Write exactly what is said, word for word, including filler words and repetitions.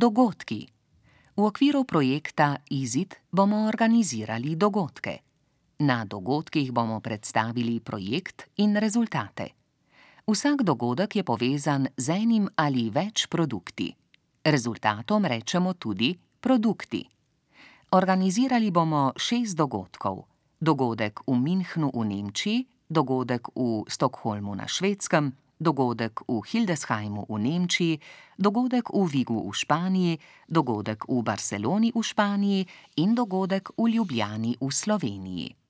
Dogodki. V okviru projekta Izid bomo organizirali dogodke. Na dogodkih bomo predstavili projekt in rezultate. Vsak dogodek je povezan z enim ali več produkti. Rezultatom rečemo tudi produkti. Organizirali bomo šest dogodkov. Dogodek v Münchnu v Nemčiji, dogodek v Stockholmu na Švedskem, dogodek v Hildesheimu v Nemčiji, dogodek v Vigu v Španiji, dogodek v Barceloni v Španiji in dogodek v Ljubljani v Sloveniji.